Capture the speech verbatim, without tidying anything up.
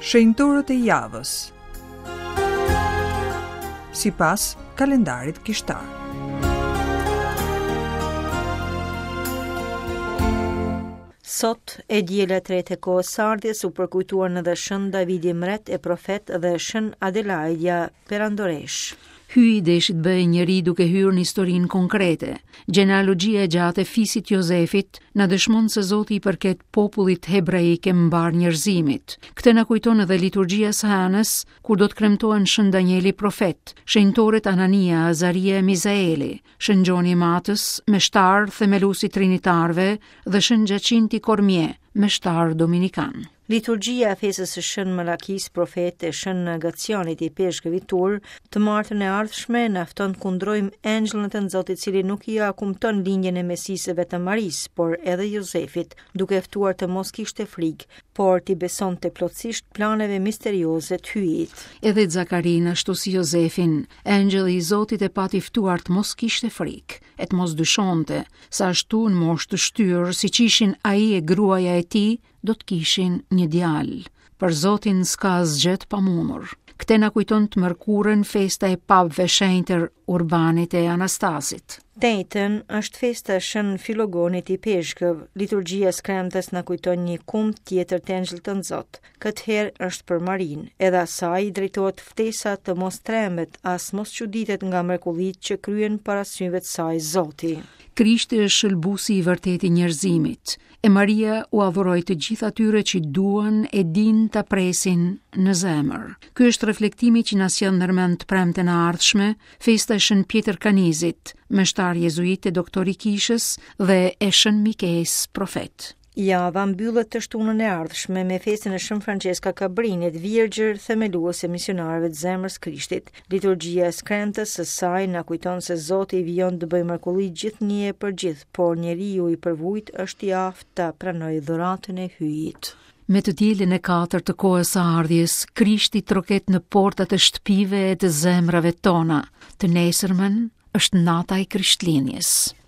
Shenjtorët e javës. Sipas kalendarit kishtar. Sot, e diela e tretë e kohës së ardhjes, u përkujtuan edhe Shën Davidi Mret e profet dhe Shën Adelaida Perandoresh. Hyji deshi të bëhej njeri duke hyrë në historinë konkrete. Gjenealogjia e gjatë e fisit Jozefit na dëshmon se Zoti i përket popullit hebraik e mbar njerëzimit. Këtë na kujton edhe liturgjia e së hënës, kur do të kremtohen Shën Danieli profet, shenjtorët Anania, Azaria e Mizaeli, Shën Gjoni i Matës, meshtar themelues i trinitarëve dhe Shën Gjacinti Kormje, meshtar dominikan. Liturgjia e festës së Shën Malakis profet e Shën Gacianit i Peshkëvit Tur, të martën e ardhshme na fton të kundrojmë engjëllin e të Zotit, i cili nuk ia kumton lindjen e Mesisë vetëm Marisë, por edhe Jozefit, duke ftuar të mos kishte frikë, por t'i besonte plotësisht planeve misterioze të Hyjit. Edhe Zakarin, ashtu si Jozefin, engjëlli i Zotit e pati ftuar të mos kishte frikë, e të mos dyshonte, se ashtu në moshë të shtyrë, siç ishin ai e gruaja e tij, do të kishin një djalë. Për Zotin s'ka asgjë të pamundur. Këtë na kujton të mërkurën festa e papëve shenjtër Urbanit e Anastasit. Të enjten është festa e Shën Filogonit i Peshkëv. Liturgjia e skremtës na kujton një kumt tjetër të engjëllit të Zot. Këtë herë është për Marinë. Edhe asaj i drejtohet ftesa të mos trembet, as mos çuditet nga mrekullitë që kryen para syve të saj Zoti. Krishti është shëlbuesi i vërtetë i njerëzimit, e Maria u adhuroi të gjithë atyre që duan e dinë ta presin në zemër. Ky është reflektimi që na sjell ndërmend të premten e ardhshme, festa e Shën Pjetër Kanizit, meshtar jezuit e doktor i kishës dhe e Shën Mikes profet. Java mbyllet të shtunën e ardhshme me festën e Shën Francesca Cabrinit, virgjër themeluese e misionarëve të zemrës Krishtit. Liturgjia e skremtës së saj na kujton se Zoti vijon të bëjë mrekulli gjithnjë e për gjithë, por njeriu i përvujt është i aftë ta pranojë dhuratën e Hyjit. Me të dielën e katërt të kohës së ardhjes, Krishti troket në portat e shtëpive e të zemrave tona. Të nesërmen është nata e Krishtlindjes.